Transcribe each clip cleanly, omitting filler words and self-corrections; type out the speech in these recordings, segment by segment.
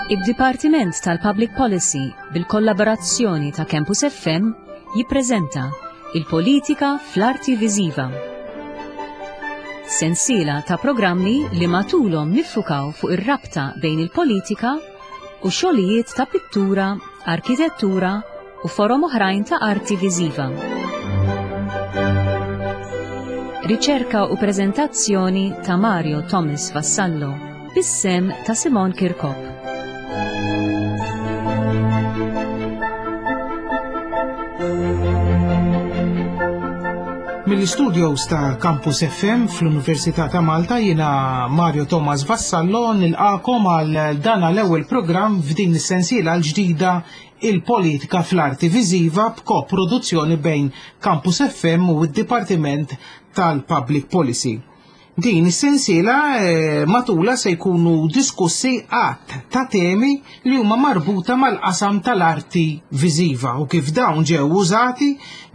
Id-Dipartiment tal-Public Policy bil-kollaborazzjoni ta' Campus FM jippreżenta Il-Politika fl-Arti Viżiva. Sensiela ta' programmi li matulhom niffukaw fuq ir-rabta bejn il-politika u xogħlijiet ta' pittura, arkitettura u forom oħrajn ta' arti viżiva. Riċerka u preżentazzjoni ta' Mario Thomas Vassallo, bis-sehem ta' Simon Kirkop. Mill-istudios ta' Campus FM fl-Università ta' Malta jiena Mario Thomas Vassallo nilqakom għal dan l-ewwel programm f'din is-sensiela l-ġdida il-politika fl-arti viżiva b'koproduzzjoni bejn Campus FM u d-Dipartiment tal-Public Policy. Din is-sensiela eh, matula se jkunu diskussi għadd ta' temi li huma marbuta mal-qasam tal-arti viżiva u kif dawn ġew użati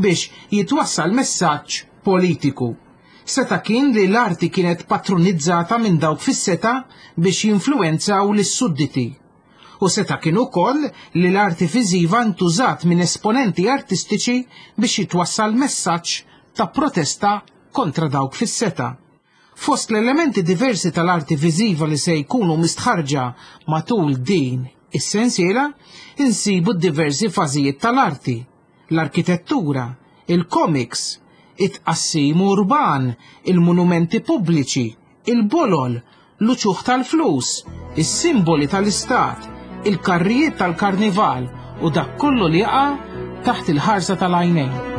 biex jitwassal messaġġ politiku. Seta' kien li l-arti kienet patronizzata minn dawk fis-seta' biex jinfluwenzaw lis-sudditi. U seta' kien ukoll li l-arti viżiva ntużat minn esponenti artistiċi biex jitwassal messaġġ ta' protesta kontra dawk fis-setgħa. Fost l-elementi diversi tal-arti viżiva li se jkunu mistħarrġa matul din is-sensiela, insibu d-diversi fażijiet tal-arti, l-arkitettura, il-komiks, it-tqassim urban, il-monumenti pubbliċi, il-bolol, l-uċuħ tal-flus, is-simboli tal-istat, il-karrijiet tal-karnival u dak kollu li jaqa' taħt il-ħarsa tal-għajnejn.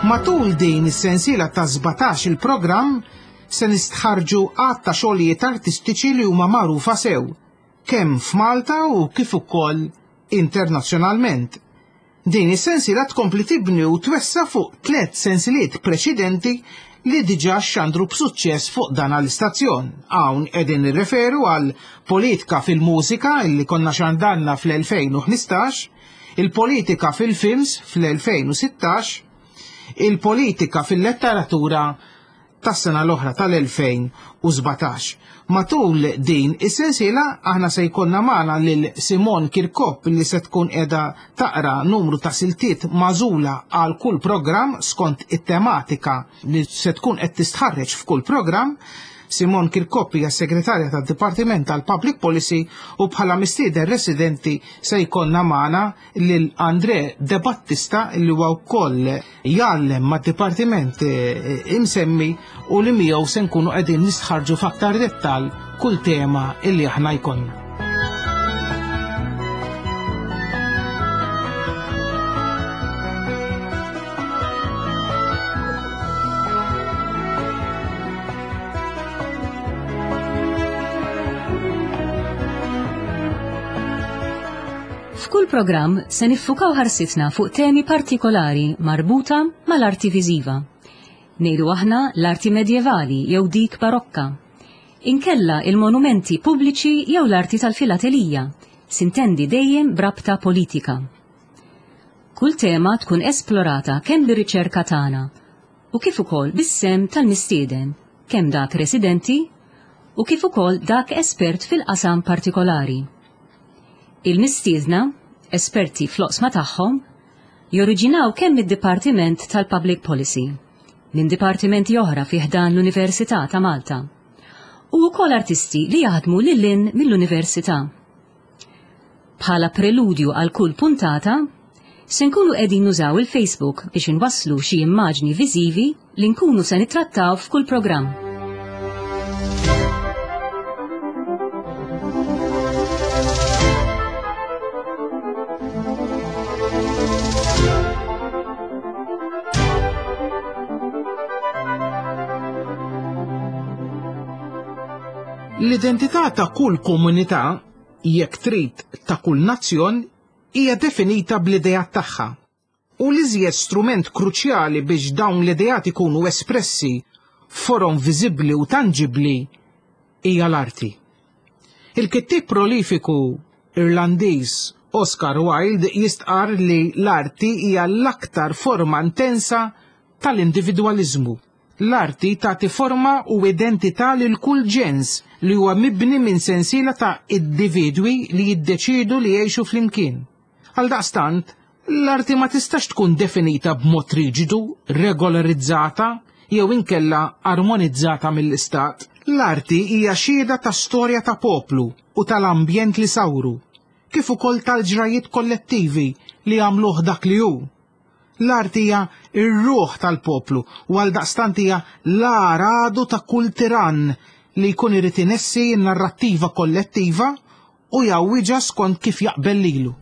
Matul din is-sensiela ta' 17 il-programm se nistħarrġu għadd ta' xogħlijiet artistiċi li huma magħrufa sew, kemm f'Malta u kif ukoll internazzjonalment. Din is-sensiela tkompli tibni u twessa' fuq tlett sensiliet preċedenti li diġà xxandru b'suċċess fuq dan l-istazzjon. Hawn qegħdin nirreferu għal Politika fil-Mużika illi konna xandarna fl-2015, il-Politika fil-Films fl-2016, il-Politika fil-Letteratura tas-sena l-oħra tal-2017. Matul din is-sensiela aħna se jkollna magħna lil Simon Kirkop li se tkun qiegħda taqra numru ta' siltiet magħżula għal kull programm skont it-tematika li se tkun qed tistħarreġ f'kull programm. Simon Kirkop hija segretarja tad-Dipartiment tal-Public Policy u bħala mistieden residenti se jkollna magħna lil Andre De Battista li huwa wkoll jgħallem mad-dipartiment eh, imsemmi u li miegħu se nkunu qegħdin nistħarġu f'aktar dettall kull tema illi aħna jkollna. F'kull programm se niffukaw ħarsitna fuq temi partikolari marbuta mal-arti viżiva. Ngħidu aħna l-arti medjevali jew dik barokka. Inkella il-monumenti pubbliċi jew l-arti tal-filatelija, sintendi dejjem b'rabta politika. Kull tema tkun esplorata kemm bir-riċerka tagħna u kif ukoll bis-sehem tal-mistieden, kemm dak residenti u kif ukoll dak espert fil-qasam partikolari. Il-mistiedna, esperti fl-oqsma tagħhom, joriġinaw kemm mid-Dipartiment tal-Public Policy, minn dipartimenti oħra fi ħdan l-Università ta' Malta, u wkoll artisti li jaħdmu lil hinn mill-Università. Bħala preludju għal kull puntata, se nkunu qegħdin nużaw il-Facebook biex inwasslu xi immaġni viżivi li nkunu se nittrattaw f'kull programm. L-identità ta' kull komunità, jekk trid ta' kull nazzjon, hija definita bl-ideat tagħha. U l-iżjed strument kruċjali biex dawn l-ideat ikunu espressi f'forom viżibbli u tanġibbli hija l-arti. Il-kittieb prolifiku Irlandiż Oscar Wilde jistqarr li l-arti hija l-aktar forma intensa tal-individwaliżmu. L-arti tagħti forma u identità lil kull ġens li huwa mibni minn sensiela ta' individwi li jiddeċiedu li jgħixu flimkien. Għaldaqstant, l-arti ma tistax tkun definita b'mod riġidu, regolarizzata jew inkella armonizzata mill-istat. L-arti hija xhieda ta' storja ta' poplu u tal-ambjent li sawru, kif ukoll tal-ġrajjiet kollettivi li għamluh dak li hu. L-arti hija r-ruħ tal-poplu u għaldaqstant hija l-agħar għadu ta' kull tirann li jkun irid inessi n-narrattiva kollettiva u jgħawwiġha skont kif jaqbel lilu.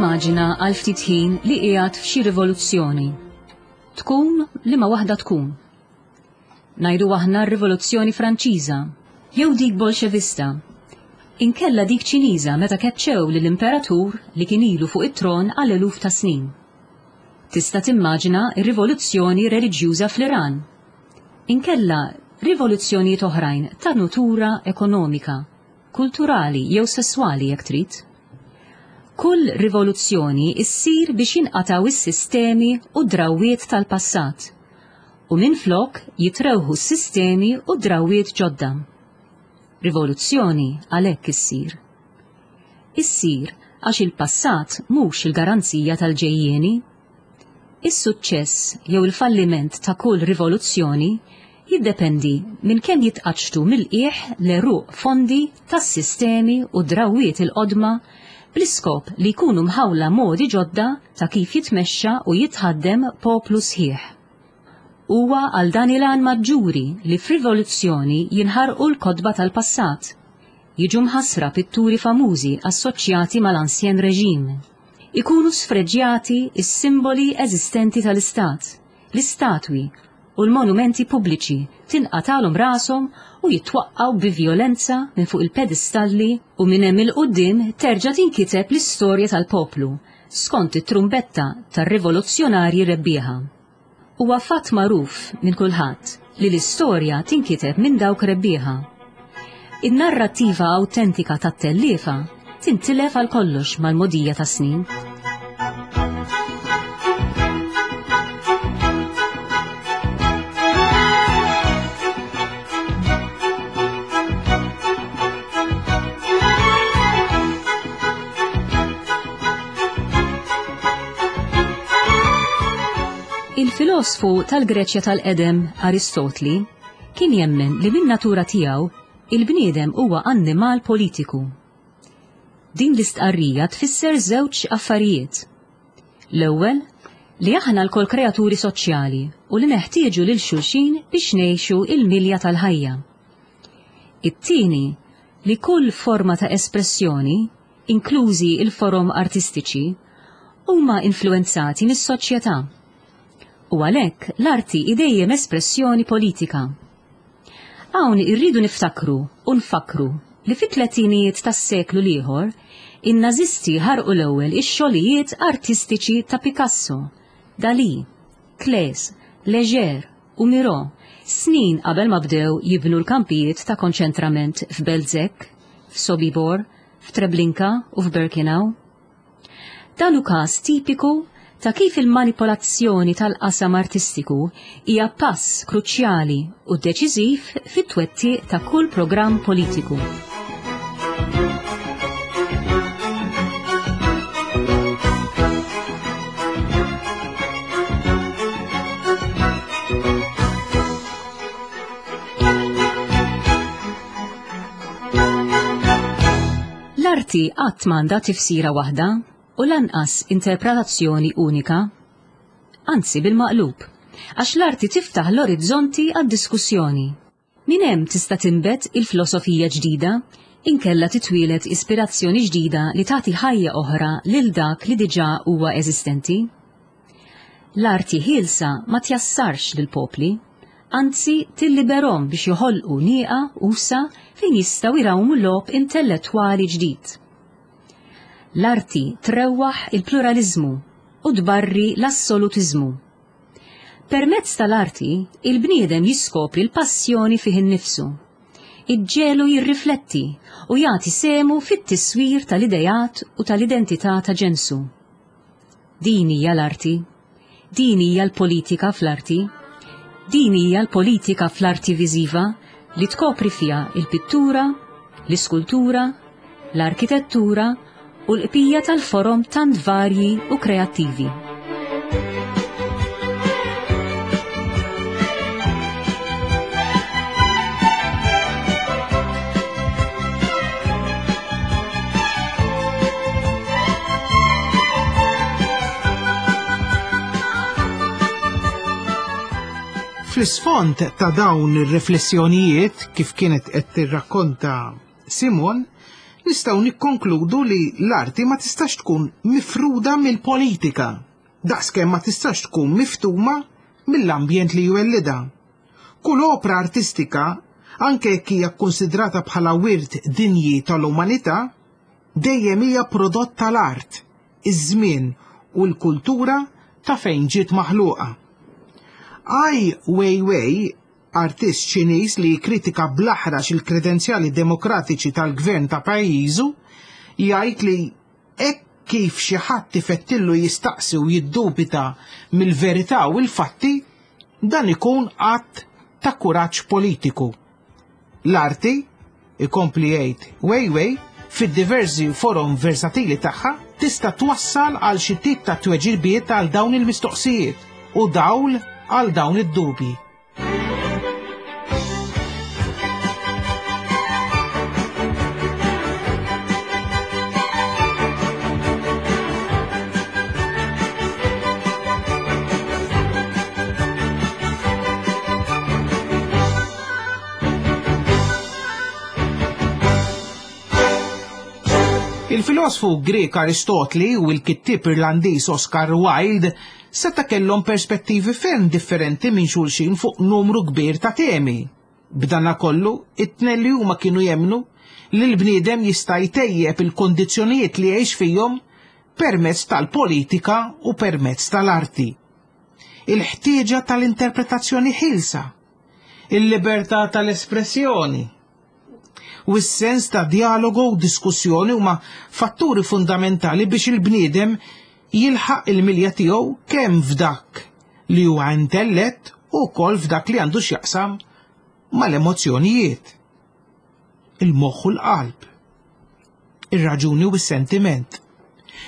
Immaġina għal ftit ħin li qiegħed f'xi rivoluzzjoni. Tkun liema waħda tkun. Ngħidu aħna r-Rivoluzzjoni Franċiża, jew dik Bolxevista, inkella dik Ċiniża meta keċċew lill-imperatur li kien ilu fuq it-tron għal eluf ta' snin. Tista' timmaġina r-rivoluzzjoni reliġjuża fl-Iran. Inkella rivoluzzjonijiet oħrajn ta' nutura ekonomika, kulturali jew sesswali jekk trid. Kull rivoluzzjoni ssir biex jinqatgħu s-sistemi u d-drawwiet tal-passat u minflok jitrewħu s-sistemi u d-drawwiet ġodda. Rivoluzzjoni għalhekk issir. Issir għax il-passat mhux il-garanzija tal-ġejjieni. Is-suċċess jew il-falliment ta' kull rivoluzzjoni jiddependi minn kemm jitqaċċtu mill-qiegħ l-għeruq fondi tas-sistemi u d-drawwiet il-qodma bl-iskop li jkunu mħawla modi ġodda ta' kif jitmexxa u jitħaddem poplu sħiħ. Huwa għal dan il-għan maġġuri li f'rivoluzzjoni jinħarqu l-kotba tal-passat, jiġu mħassra pitturi famużi assoċjati mal-Ancien Régime, ikunu sfreġjati s-simboli eżistenti tal-Istat, l-istatwi u l-monumenti pubbliċi tinqatgħalhom rashom u jitwaqqgħu bi vjolenza minn fuq il-pedistalli u minn hemm 'il quddiem terġa' tinkiteb l-istorja tal-poplu skont it-trumbetta tar-rivoluzzjonarji rebbieħa. Huwa fatt magħruf minn kulħadd li l-istorja tinkiteb minn dawk rebbieħa. In-narrattiva awtentika tat-telliefa tintilef għal kollox mal-mogħdija tas-snin. Il-filosfu tal-Greċja tal-qedem Aristotli kien jemmen li min-natura tiegħu il-bniedem huwa annimal politiku. Din l-istqarrija tfisser żewġ affarijiet. L-ewwel, li aħna lkoll kreaturi soċjali u li neħtieġu lil xulxin biex ngħixu il-milja tal-ħajja. It-tieni, li kull forma ta' espressjoni, inklużi l-forom artistiċi, huma influwenzati mis-soċjetà. U għalhekk l-arti hi dejjem espressjoni politika. Hawn irridu niftakru u nfakkru li fit-tletinijiet tas-seklu l-ieħor, in-Nażisti ħarqu l-ewwel ix-xogħlijiet artistiċi ta' Picasso, Dalí, Klees, Léger u Miró snin qabel ma bdew jibnu l-kampijiet ta' konċentrament f'Belzec, f'Sobibor, f'Treblinka u f'Birkenau. Dan hu każ tipiku ta' kif il-manipolazzjoni tal-qasam artistiku hija pass kruċjali u deċiżiv fit-twettiq ta' kull programm politiku. L-arti qatt m'għandha tifsira waħda u lanqas interpretazzjoni unika. Anzi bil-maqlub, għax l-arti tiftaħ l-orizzonti għad-diskussjoni. Minn hemm tista' tinbet il-filosofija ġdida, inkella titwieled ispirazzjoni ġdida li tagħti ħajja oħra lil dak li diġà huwa eżistenti. L-arti ħielsa ma tjassarx lill-popli. Anzi tilliberhom biex joħolqu nieqa usa' fejn jistgħu jrawmu logħob intellettwali ġdid. L-arti trewwaħ il-pluraliżmu u tbarri l-assolutiżmu. Permezz tal-arti, il-bniedem jiskopri l-passjoni fih innifsu. Iġġegħlu jirrifletti u jagħti sehmu fit-tiswir tal-ideat u tal-identità ta' ġensu. Din hija l-arti. Din hija l-politika fl-arti. Din hija l-politika fl-arti viżiva li tkopri fiha il-pittura, l-iskultura, l-arkitettura u l-qbija tal-forom tant varji u kreattivi. Fl-isfond ta' dawn ir-riflessjonijiet kif kienet qed tirrakkonta Simon, nistgħu nikkonkludu li l-arti ma tistax tkun mifruda mill-politika, daqskemm ma tistax tkun miftuma mill-ambjent li jwellidha. Kull opra artistika, anke jekk hija kkunsidrata bħala wirt dinji tal-umanità, dejjem hija prodott tal-art, iż-żmien u l-kultura ta' fejn ġiet maħluqa. Ai Weiwei, artist Ċiniż li jikkritika bl-aħrax il-kredenzjali demokratiċi tal-gvern ta' pajjiżu, jgħid li hekk kif xi ħadd ifettillu jistaqsi u jiddubita mill-verità u l-fatti, dan ikun att ta' kuraġġ politiku. L-arti, ikompli jgħid Weiwei, fid-diversi forom versatili tagħha tista' twassal għal xi tip ta' tweġibiet għal dawn il-mistoqsijiet u dawl għal dawn id-dubji. Il-filosfu Grek Aristotli u l-kittieb Irlandiż Oscar Wilde seta' kellhom perspettivi ferm differenti minn xulxin fuq numru kbir ta' temi. B'danakollu, it-tnejn li huma kienu jemmnu li l-bniedem jista' jtejjeb il-kundizzjonijiet li jgħix fihom permezz tal-politika u permezz tal-arti. Il-ħtieġa tal-interpretazzjoni ħielsa, il-libertà tal-espressjoni, u s-sens ta' djalogu u diskussjoni huma fatturi fundamentali biex il-bniedem jilħaq il-milja tiegħu kemm f'dak li huwa intellett u wkoll f'dak li għandu x'jaqsam mal-emozzjonijiet, il-moħħ u l-qalb, ir-raġuni u s-sentiment.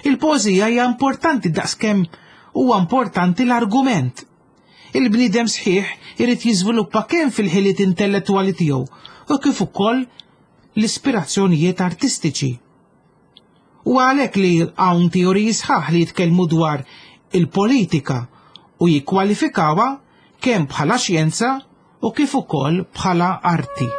Il-poeżija hija importanti daqskemm huwa importanti l-argument. Il-bniedem sħiħ irid jiżviluppa kemm fil-ħiliet intellettwali tiegħu u kif ukoll l-ispirazzjonijiet artistiċi. U għalhekk li hawn teoriji sħaħ li jitkellmu dwar il-politika u jikkwalifikawha kemm bħala xjenza u kif ukoll bħala arti.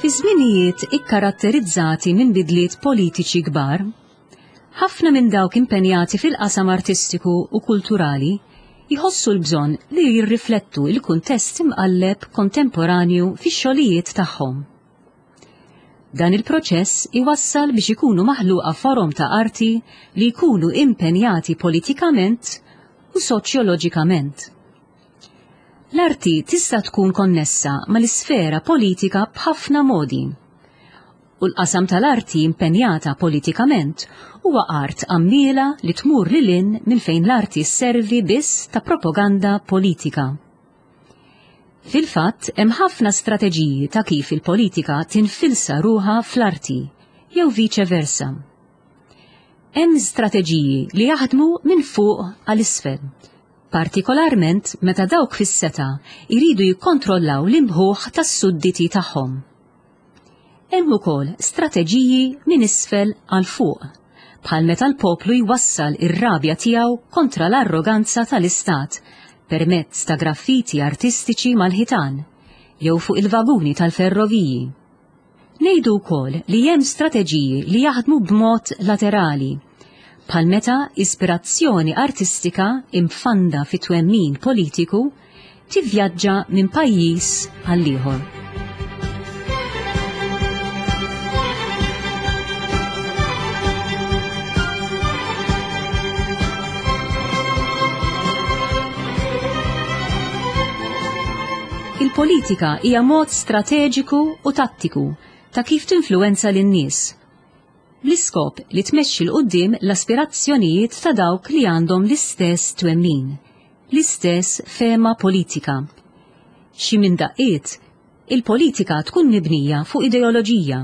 Fi żminijiet ikkaratterizzati minn bidliet politiċi kbar, Ħafna minn dawk impenjati fil-qasam artistiku u kulturali jħossu l-bżonn li jirriflettu l-kuntest imqalleb kontemporanju fix-xogħlijiet tagħhom. Dan il-proċess iwassal biex ikunu maħluqa forom ta' arti li jkunu impenjati politikament u soċjoloġikament. L-arti tista' tkun konnessa mal-isfera politika b'ħafna modi. U l-qasam tal-arti impenjata politikament huwa art għammiela li tmur lil hinn minn fejn l-arti sservi biss ta' propaganda politika. Fil-fatt hemm ħafna strateġiji ta' kif il-politika tinfilsa ruħha fl-arti, jew viċe versa. Hemm strateġiji li jaħdmu minn fuq għal isfel, partikolarment meta dawk fis-setgħa jridu jikkontrollaw l-imħuħ tas-sudditi tagħhom. Hemm ukoll strateġiji minn isfel għal fuq, bħal meta l-poplu jwassal ir-rabja tiegħu kontra l-arroganza tal-Istat permezz ta' graffiti artistiċi mal-ħitan jew fuq il-vaguni tal-ferroviji. Ngħidu wkoll li hemm strateġiji li jaħdmu b'mod laterali, bħal meta ispirazzjoni artistika imfanda fi twemmin politiku tivvjaġġa minn pajjiż għal ieħor. Il-politika hija mod strateġiku u tattiku ta' kif tinfluwenza lin-nies, bl-iskop li tmexxi 'l quddiem l-aspirazzjonijiet ta' dawk li għandhom l-istess twemmin, l-istess fehma politika. Xi minn daqqiet, il-politika tkun mibnija fuq ideoloġija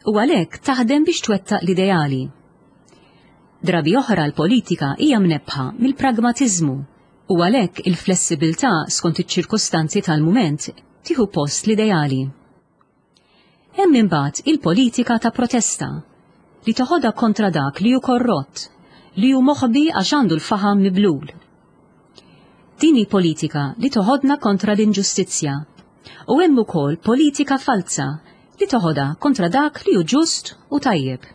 u għalhekk taħdem biex twettaq l-ideali. Drabi oħra l-politika hija mnebbħa mill-pragmatiżmu u għalhekk il-flessibilità skont iċ-ċirkustanzi tal-mument tieħu post l-ideali. Hemm imbagħad il-politika ta' protesta li toħodha kontra dak li hu korrott, li hu moħbi għax għandu l-faħam miblul. Din hi politika li toħodna kontra l-inġustizzja. U hemm ukoll politika falza li toħodha kontra dak li hu ġust u tajjeb.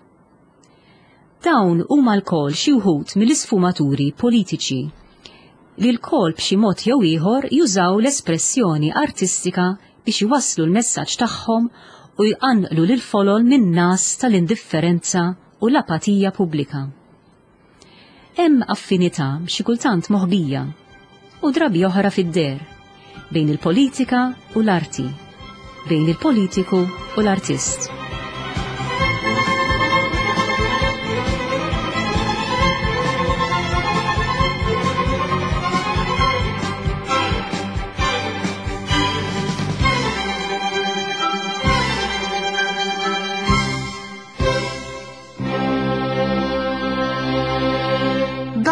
Dawn huma lkoll xi wħud mill-isfumaturi politiċi li lkoll b'xi mod jew ieħor jużaw l-espressjoni artistika biex iwasslu l-messaġġ tagħhom u jqanqlu lill-folol min-ngħas tal-indifferenza u l-apatija pubblika. Hemm affinità xi kultant moħbija u drabi oħra fid-deher bejn il-politika u l-arti, bejn il-politiku u l-artist.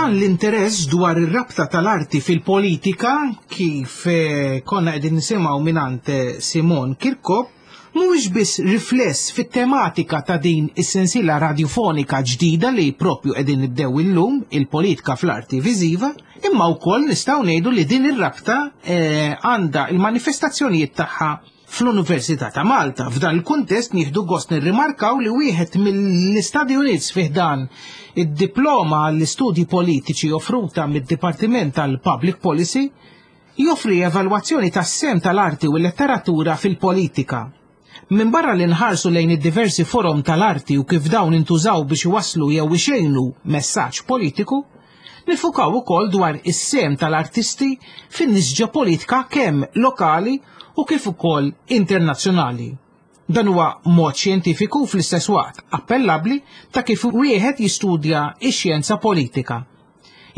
Dan l-interess dwar ir-rabta tal-arti fil-politika kif eh, konna qegħdin nisimgħu mingħand eh, Simon Kirkop mhuwiex biss rifless fit-tematika ta' din is-sensiela radiofonika ġdida li propju qegħdin nibdew illum il-politika fl-arti viżiva, imma wkoll nistgħu ngħidu li din ir-rabta eh, għandha il-manifestazzjonijiet tagħha fl-Università ta' Malta. F'dan il-kuntest nieħdu gost nirrimarkaw li wieħed mill-Istati Units fih dan id-diploma għall-istudji politiċi offruta mid-Dipartiment tal-Public Policy joffri evalwazzjoni tas-sehem tal-arti u l-letteratura fil-politika. Minbarra li nħarsu lejn id-diversi forom tal-arti u kif dawn intużaw biex iwasslu jew ixejnu messaġġ politiku, Nifukaw ukoll dwar is-sehem tal-artisti fin-nisġa politika kemm lokali u kif ukoll internazzjonali. Dan huwa mod xjentifiku u fl-istess waqt appellabbli ta' kif wieħed jistudja x-xjenza politika.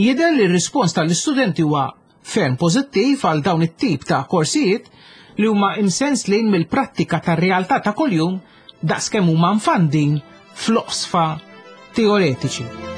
Jidher li r-rispons tal-istudenti huwa ferm pożittiv għal dawn it-tip ta' korsijiet li huma imsenslin mill-prattika tar-realtà ta' kuljum daqskemm huma mfandin fl-oqsfa teoretiċi.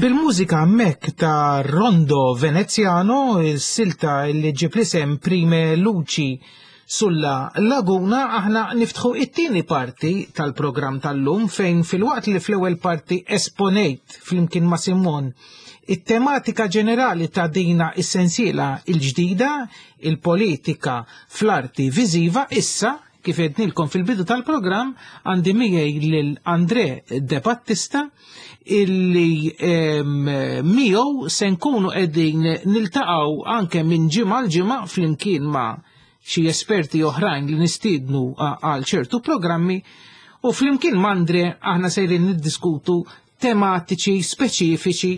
Bil-mużika hemmhekk ta' Rondo Veneziano, is-silta li ġib l-isem Prime Luci sulla Laguna, aħna niftħu it-tieni parti tal-programm tal-lum fejn filwaqt li fl-ewwel parti esponejt flimkien ma' Simon it-tematika ġenerali ta' dina is-sensiela il-ġdida, il-politika fl-arti viżiva, issa kif għednilkom fil-bidu tal-programm għandi miegħi lil Andre De Battista illi miegħu se nkunu qegħdin niltaqgħu anke minn ġimgħa l ġimgħa flimkien ma' xi esperti oħrajn li nistiednu għal ċertu programmi u flimkien ma' Andre aħna sejrin niddiskutu tematiċi speċifiċi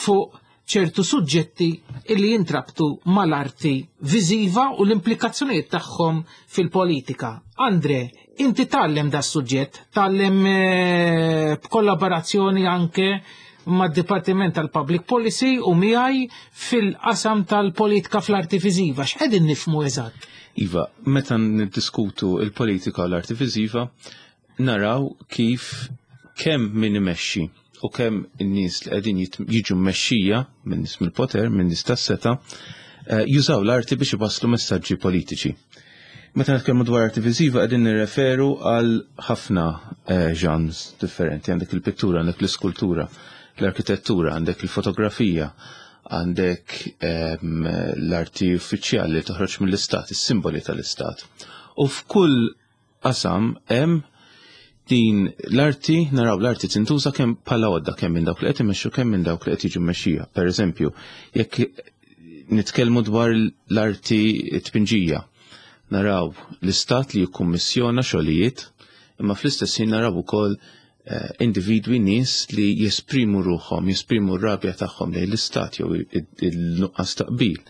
fuq ċertu suġġetti illi jintrabtu mal-arti viżiva u l-implikazzjonijiet tagħhom fil-politika. Andre, inti tgħallem da suġġett, tgħallem eh, b'kollaborazzjoni anke mad-Dipartiment tal-Public Policy u miegħi fil-qasam tal-politika fl-arti viżiva. X'qegħdin nifhmu eżatt? Iva, meta niddiskutu il-politika u l-arti viżiva, naraw kif kemm min imexxi u kemm in-nies li qegħdin jiġu mmexxija minn nies mill-poter, minn nies tas-seta, eh, jużaw l-arti biex iwasslu messaġġi politiċi. Meta nitkellmu dwar arti viżiva qegħdin nirreferu għal ħafna eh, genres differenti, għandek il-pittura, għandek l-iskultura, l-arkitettura, għandek il-fotografija, għandek ehm, l-arti uffiċjali li toħroġ mill-istat, is-simboli tal-istat. U f'kull qasam hemm din l-arti, naraw l-arti tintuża kemm bħala għodda kemm minn dawk li qed imexxu kemm minn dawk li qed jiġu mmexxija. Per eżempju, jekk nitkellmu dwar l-arti tpinġija, naraw l-istat li jikkummissjona xogħlijiet, imma fl-istess ħin naraw ukoll eh, individwi nies li jesprimu ruħhom, jesprimu r-rabja tagħhom lejn l-istat jew il-nuqqas taqbil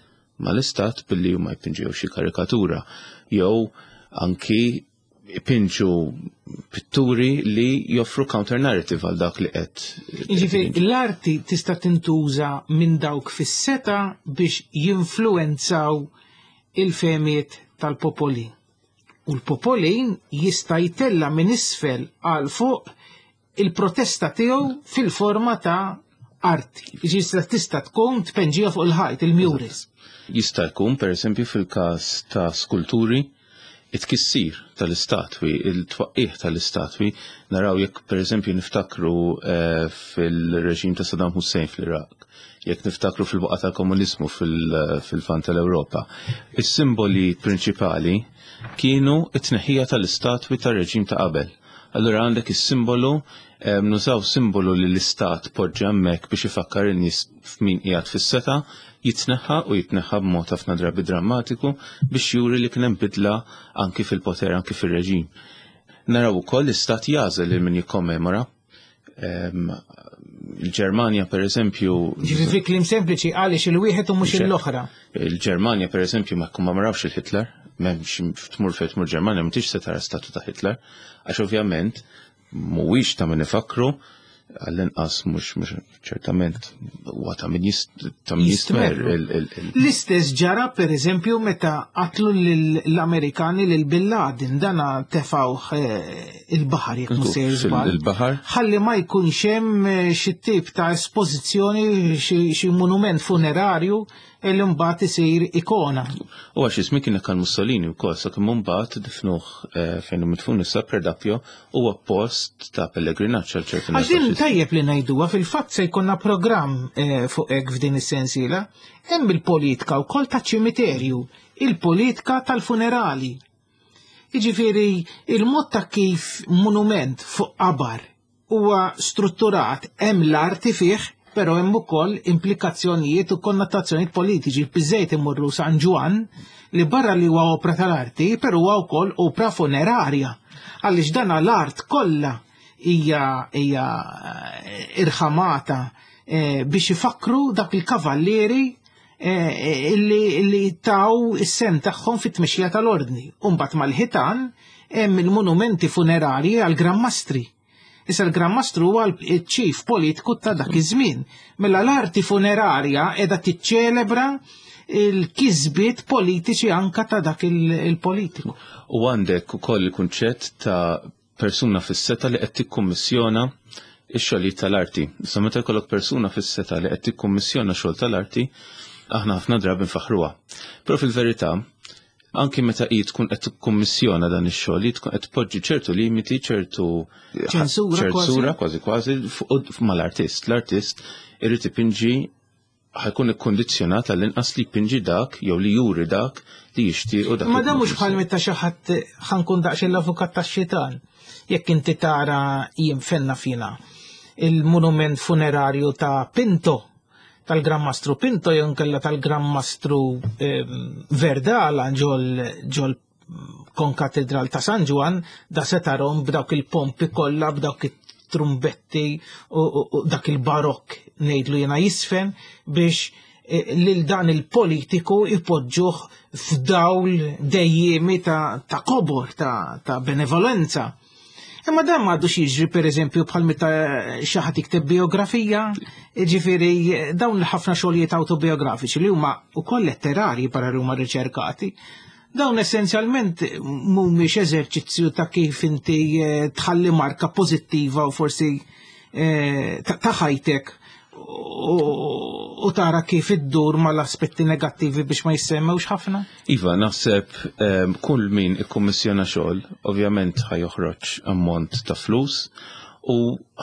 mal-istat billi huma jpinġew xi karikatura jew anki ipinġu pitturi li joffru counter narrative għal dak li qed. Jiġifieri l-arti tista' tintuża minn dawk fis-seta biex jinfluwenzaw il-fehmiet tal-popolin. U l-popolin jista' jtella' minn isfel għal fuq il-protesta tiegħu fil-forma ta' arti. Jiġifieri tista' tkun tpenġija fuq il-ħajt, il-murals. Jista' jkun, pereżempju, fil-każ ta' skulturi, it-tkissir tal-istatwi, il-twaqqigħ tal-istatwi, naraw jekk pereżempju niftakru eh, fil-reġim ta' Saddam Hussein fl-Iraq, jekk niftakru fil-waqgħa tal-komuniżmu fil-Lvant tal-Ewropa. Is-simboli prinċipali kienu t-tneħħija tal-istatwi tar-reġim ta' qabel. Allura għandek is-simbolu, nużaw simbolu li l-istat poġġa hemmhekk biex ifakkar in-nies f'min qiegħed fis-setgħa, jitneħħa u jitneħħa b'mod ħafna drabi drammatiku biex juri li kien hemm bidla anki fil-poter, anki fir-reġim. Naraw ukoll l-istat jagħżel lil min jikkommemora. Il-Ġermanja per eżempju. Ġifieri fi kliem sempliċi għaliex il-wieħed u mhux l-oħra. Il-Ġermanja per eżempju ma kkommemorawx il-Hitler, m'hemmx tmur fejn tmur Ġermanja m'intix se tara statu ta' Hitler, għax ovvjament mhuwiex ta' min ifakru għall-inqas mhux ċertament huwa ta' min jistmer. L-istess ġara pereżempju meta qatlu l-Amerikani lil Bin Laden dana tefawh eh, il-baħar jekk mhux se Il-baħar. Ħalli ma jkunx hemm eh, xi tip ta' espożizzjoni xi monument funerarju li mbagħad isir ikona. U għax ismi kien għal Mussolini wkoll sakemm mbagħad difnuh eh, fejn hu midfun issa Predappio huwa post ta' pellegrinaġġ għal ċerti Għax din tajjeb li ngħiduha fil-fatt se jkollna programm eh, fuq hekk f'din is-sensiela, hemm il-politika wkoll ta' ċimiterju, il-politika tal-funerali. Jiġifieri il-mod ta' kif monument fuq qabar huwa strutturat hemm l-arti fih, però hemm ukoll implikazzjonijiet u konnotazzjonijiet politiċi. Biżejt imorru San Ġwann li barra li huwa opra tal-arti, però huwa wkoll opra funerarja. Għaliex dan l-art kollha hija hija eh, irħamata eh, biex ifakru dak il-kavallieri eh, illi taw is-sem tagħhom fit-tmexxija tal-ordni. Umbagħad mal-ħitan hemm il-monumenti funerarji għal Gran Mastri. Issa l-Gran Mastru huwa l-ċif politiku ta' dak iż-żmien. Mela l-arti funerarja qiegħda tiċċelebra il-kisbiet politiċi anka ta' dak il-politiku. U għandek ukoll il-kunċett ta' persuna fis-seta li qed tikkummissjona ix-xogħlijiet tal-arti. Issa meta jkollok persuna fis-setgħa li qed tikkummissjona xogħol tal-arti, aħna ħafna drabi nfaħruha. Però fil-verità, anki meta hi tkun qed tikkummissjona dan ix-xogħol, hi tkun qed tpoġġi ċertu limiti, ċertu ċensura ċensura kważi kważi mal-artist. L-artist irid ipinġi ħajkun ikkondizzjonat għall-inqas li jpinġi dak jew li juri dak li jixtieq u dak. Ma dan mhux bħal meta xi ħadd ħankun daqsxejn l-avukat tax-xitan. Jekk inti tara jien fenna fina il-monument funerarju ta' Pinto tal-Gran Mastru Pinto jew nkella tal-Gran Mastru ehm, Verdala ġol ġol konkatedral ta' San Ġwan da se tarhom b'dawk il-pompi kollha b'dawk it-trumbetti u dak il-barokk ngħidlu jiena jisfen biex eh, lil dan il-politiku ipoġġuh f'dawl dejjemi ta', ta kobor, ta', ta benevolenza. Imma dan m'għadux jiġri pereżempju bħal meta xi ħadd jikteb biografija, ġifieri dawn l-ħafna xogħlijiet autobiografiċi li huma wkoll letterarji barra li huma riċerkati. Dawn essenzjalment mhumiex eżerċizzju ta' kif inti eh, tħalli marka pożittiva u forsi eh, ta' ħajtek u tara kif iddur mal-aspetti negattivi biex ma jissemmewx ħafna? Iva, naħseb ehm, kull min ikkummissjona xogħol, ovvjament ħajoħroġ ammont ta' flus u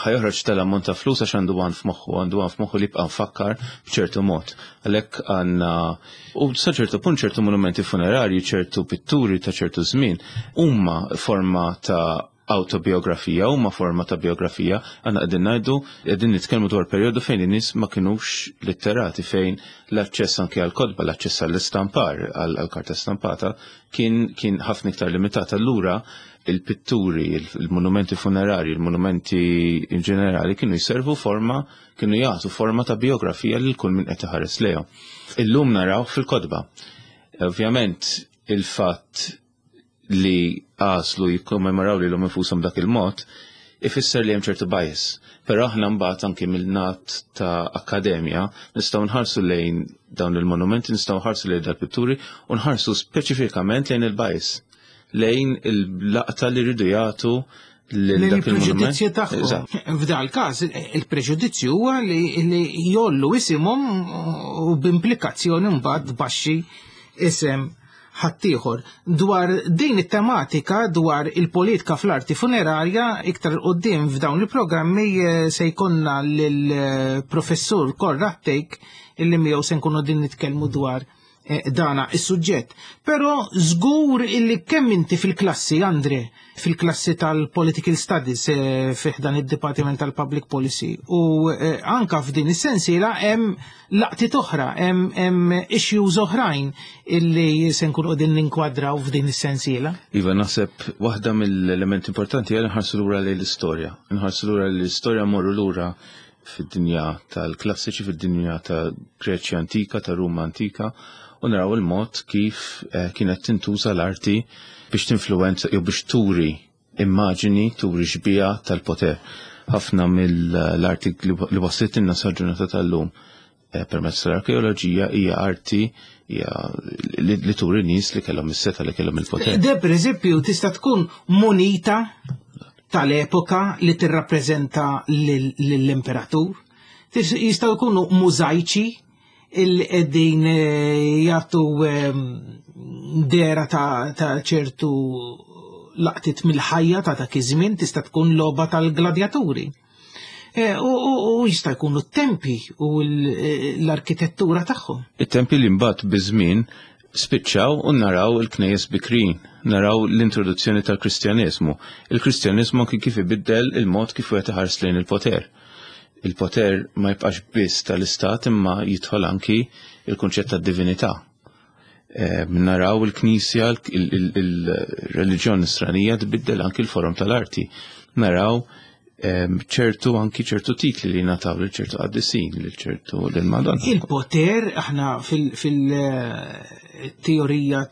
ħajoħroġ tal-ammont ta' flus għax għandu għan f'moħħu, għandu għan f'moħħu li jibqa' mfakkar b'ċertu mod. Għalhekk għandna u sa ċertu punt ċertu monumenti funerarji, ċertu pitturi ta' ċertu żmien huma forma ta' awtobiografija huma forma ta' biografija, għandna qegħdin ngħidu qegħdin nitkellmu dwar perjodu fejn in-nies ma kinux litterati, fejn l-aċċess anke għall-kotba, l-aċċess għall-istampar, għall-karta stampata kien kien ħafna iktar limitat. Allura il-pitturi, il-monumenti funerarji, il-monumenti in ġenerali kienu jservu forma, kienu jagħtu forma ta' biografija lil kull min qed iħares lejhom. Illum naraw fil-kotba. Ovvjament il-fatt li għażlu jikkommemoraw lilhom infushom dak il-mod, ifisser li hemm ċertu bias. Però aħna mbagħad anki mill-nat ta' akkademja nistgħu nħarsu lejn dawn il-monumenti, nistgħu nħarsu lejn dal-pitturi u nħarsu speċifikament lejn il-bias, lejn il-laqta li rridu jagħtu l-preġudizzju tagħhom. F'dal każ il-preġudizzju huwa li jollu isimhom u b'implikazzjoni mbagħad baxxi isem ħaddieħor. Dwar din it-tematika dwar il-politika fl-arti funerarja iktar quddiem f'dawn il-programmi eh, se jkollna lill-professur Konrad Tejk illi miegħu se nkunu din nitkellmu dwar eh, dana is-suġġett. Però żgur illi kemm inti fil-klassi, Andre, fil-klassi tal-Political Studies eh, fih dan id-Dipartiment tal-Public Policy u eh, anka f'din is-sensiela hemm laqtiet oħra, hemm issues oħrajn illi se nkunu qegħdin ninkwadraw f'din is-sensiela. Iva, naħseb waħda mill-elementi importanti hija nħarsu lura lejn l-istorja. Nħarsu lura lejn l-istorja morru lura fid-dinja tal-klassiċi, fid-dinja ta' Greċja antika, ta' Ruma antika, u naraw il-mod kif eh, kienet tintuża l-arti biex tinfluwenza jew biex turi immaġini, turi xbija tal-poter. Ħafna mill-arti li waslitilna sa ġurnata tal-lum eh, permezz tal-arkeoloġija hija arti hija li turi nies li kellhom is-seta li kellhom il-poter. De pereżempju tista' tkun munita tal-epoka li tirrappreżenta lill-imperatur. Jistgħu jkunu mużajċi il qegħdin eh, jagħtu ehm, dera ta' ċertu laqtit mill-ħajja ta' dak iż-żmien tista' tkun logħba tal-gladjaturi. Eh, u jista' jkunu t-tempi u l-arkitettura tagħhom. It-tempi li mbagħad biż-żmien spiċċaw u naraw il-knejjes bikrin, naraw l-introduzzjoni tal-Kristjaneżmu. Il-Kristjaneżmu anki kif ibiddel il-mod kif wieħed iħares lejn il-poter. Il-poter ma jibqax biss tal-istat imma jidħol anki il-kunċett tad-divinità. Eh, naraw il-Knisja, il-reliġjon nisranija tbiddel anki l-forom tal-arti. Naraw ehm, ċertu anki ċertu titli li nataw lil ċertu qaddisin, lil ċertu lil Madonna. Il-poter aħna fil-teorija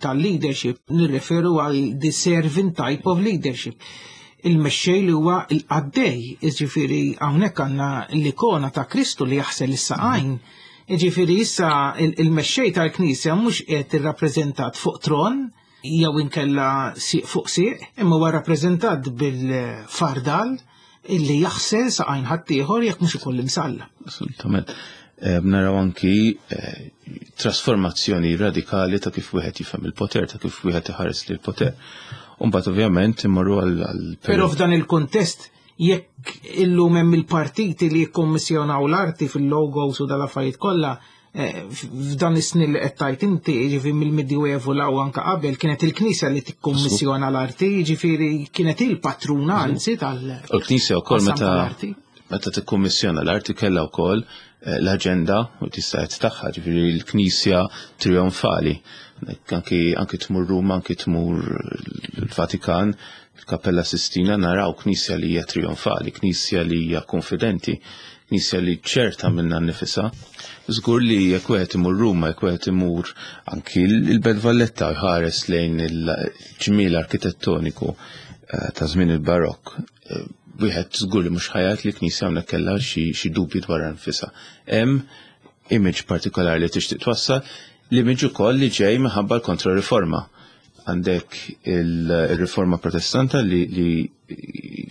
tal-leadership nirreferu għal the servant type of leadership. Il-mexxej li huwa l-qaddej, jiġifieri hawnhekk għandna l-ikona ta' Kristu li jaħsel is-saqajn. Jiġifieri issa il-mexxej tal-Knisja mhux qiegħed irrappreżentat fuq tron jew inkella sieq fuq sieq, imma huwa rappreżentat bil-fardal. illi jaħsel saqajn ħaddieħor jekk mhux ukoll imsalla. Assolutament. Naraw anki trasformazzjoni radikali ta' kif wieħed jifhem il-poter, ta' kif wieħed iħares lil poter. Umbagħad ovvjament immorru għal Però f'dan il-kuntest jekk illum hemm il-partiti li jikkommissjonaw l-arti fil-logos u dal-affarijiet kollha, f'dan is-snin li qed tgħid inti, jiġifieri mill-Medjuevu 'l hawn anke qabel, kienet il-Knisja li tikkummissjona l-arti, jiġifieri kienet il-patruna anzi tal- U l-Knisja wkoll qasam meta tal-arti. meta tikkummissjona l-arti kellha wkoll l-aġenda u tista' qed tagħha, ġifieri l-Knisja trionfali. Anki tmur Ruma, anki tmur l-Vatikan, il-Kappella Sistina, naraw Knisja li hija trionfali, Knisja li hija konfidenti, Knisja li ċerta minna nnifisha. Żgur li jekk wieħed imur Ruma, jekk wieħed imur anki l-Belt Valletta jħares lejn il-ġmiel arkitettoniku ta' żmien il-Barokk, wieħed żgur li mhux ħajat li Knisja hawnhekk kellha xi dubji dwar nfisha. Hemm image partikolari li tixtieq twassal, l-image ukoll li ġej minħabba l-kontrariforma. Għandek il-riforma protestanta li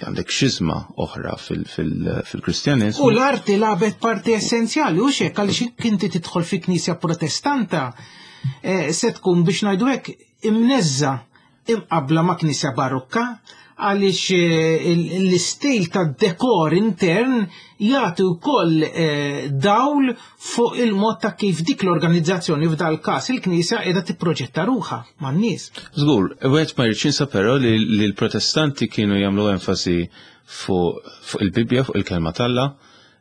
għandek xizma oħra fil-Kristjaneżmu. U l-arti lagħbet parti essenzjali, u xek, għaliex jekk inti tidħol fi knisja protestanta, se tkun biex ngħidu hekk imneżża imqabla ma' knisja barokka, għaliex l-istil ta' dekor intern jagħti wkoll dawl fuq il-mod ta' kif dik l-organizzazzjoni f'dal każ il-Knisja qiegħda tipproġetta ruħha man-nies. Żgur, wieħed ma jridx jinsa però li l-Protestanti kienu jagħmlu enfasi fuq il-Bibbja, fuq il-kelma t'Alla,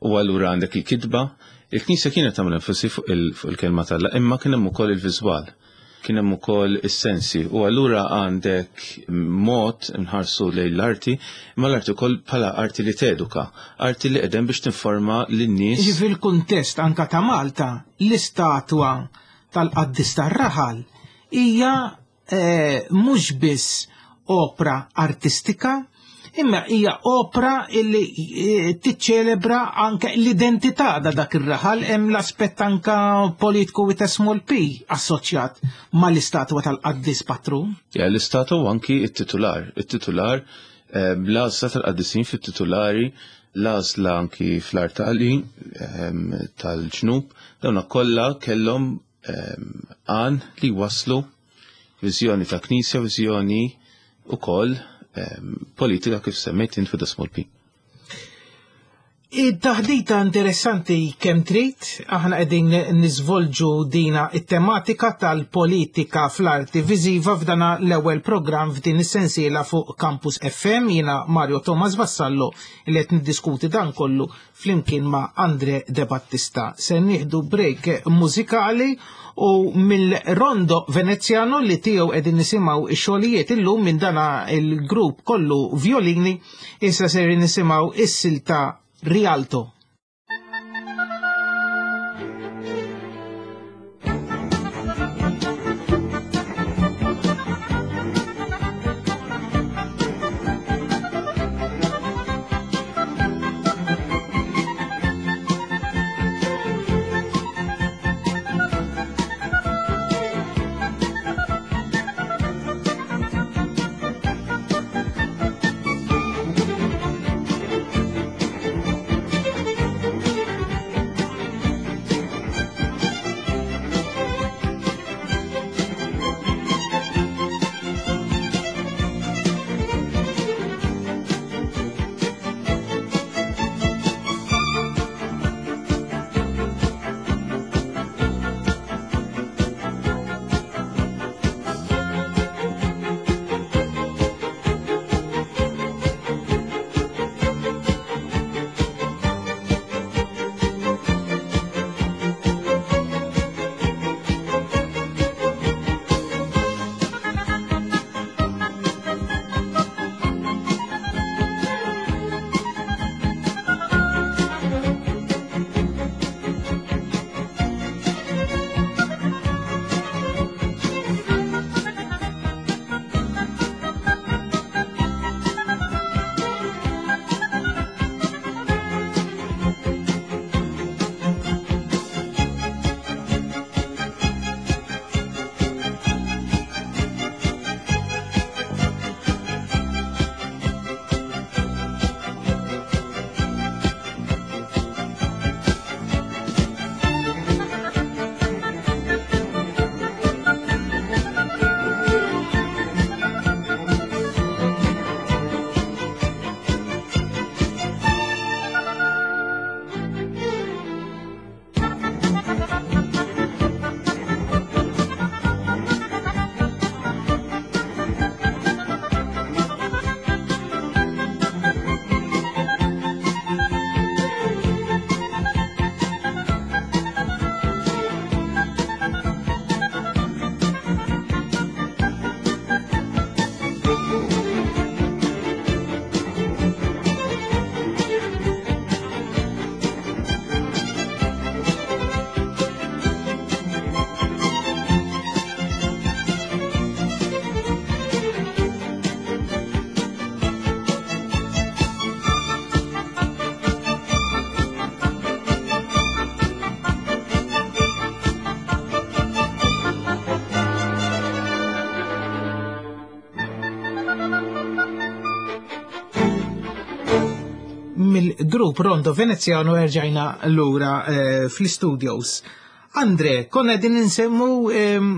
u allura għandek il-kitba. Il-Knisja kienet tagħmel enfasi fuq il-kelma t'Alla, imma kien hemm ukoll il-viżwal, kien hemm ukoll is-sensi, u allura għandek mod nħarsu lejn l-arti, imma l-arti wkoll bħala arti li teduka, arti li qegħdem biex tinforma lin-nies. Jiġifieri fil-kuntest anka ta' Malta, l-istatwa tal-qaddis tar-raħal hija mhux biss opra artistika, imma hija opra illi tiċċelebra anke l-identità ta' dak ir-raħal, hemm l-aspett anka politiku with a small p assoċjat mal-istatwa tal-qaddis patrun. Ja, l-istatwa u anki it-titular. It-titular, l-għażla tal-qaddisin fit-titulari, l-għażla anki fl-artali tal-ġnub, dawna kollha kellhom għan li waslu viżjoni ta' knisja, viżjoni ukoll politika kif semmejt int with a small p. Id-taħdita interessanti kemm trid, aħna qegħdin niżvolġu dina it-tematika tal-politika fl-arti viżiva f'dana l-ewwel programm f'din is-sensiela fuq Campus FM. Jiena Mario Thomas Vassallo li qed niddiskuti dan kollu flimkien ma' Andre De Battista. Se nieħdu break mużikali u mill-Rondo Veneziano li tiegħu qegħdin nisimgħu x-xogħlijiet illum minn dana il-grupp kollu violini, issa ser nisimgħu is-silta Rialto. Mill-grupp Rondo Veneziano erġajna lura eh, fl-studios. Andre, konna din insemmu ehm,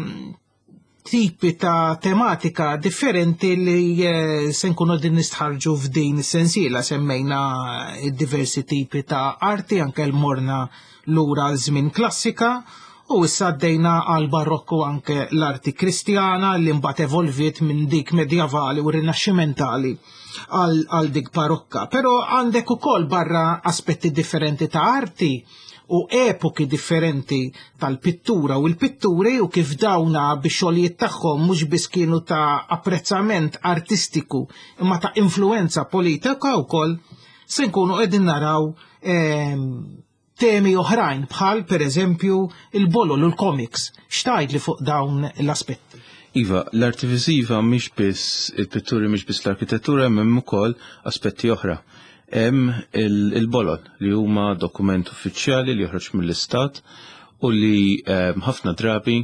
tipi ta' tematika differenti li eh, se nkunu din nistħarġu f'din is-sensiela semmejna diversi tipi ta' arti anke l-morna lura għal żmien klassika u issa għaddejna għal barokku anke l-arti kristjana li mbagħad evolviet minn dik medjavali u rinaxximentali għal dik barokka. Però għandek ukoll barra aspetti differenti ta' arti u epoki differenti tal-pittura u l-pitturi u kif dawna bix-xogħlijiet tagħhom mhux biss kienu ta' apprezzament artistiku imma ta' influenza politika wkoll se nkunu qegħdin naraw ehm, temi oħrajn bħal pereżempju il-bolol u l-comics. X'tgħid li fuq dawn l-aspetti? Iva, l-arti viżiva mhix biss il-pitturi mhix biss l-arkitettura hemm ukoll aspetti oħra. Hemm il-bolol li huma dokument uffiċjali li joħroġ mill-istat u li ehm, ħafna drabi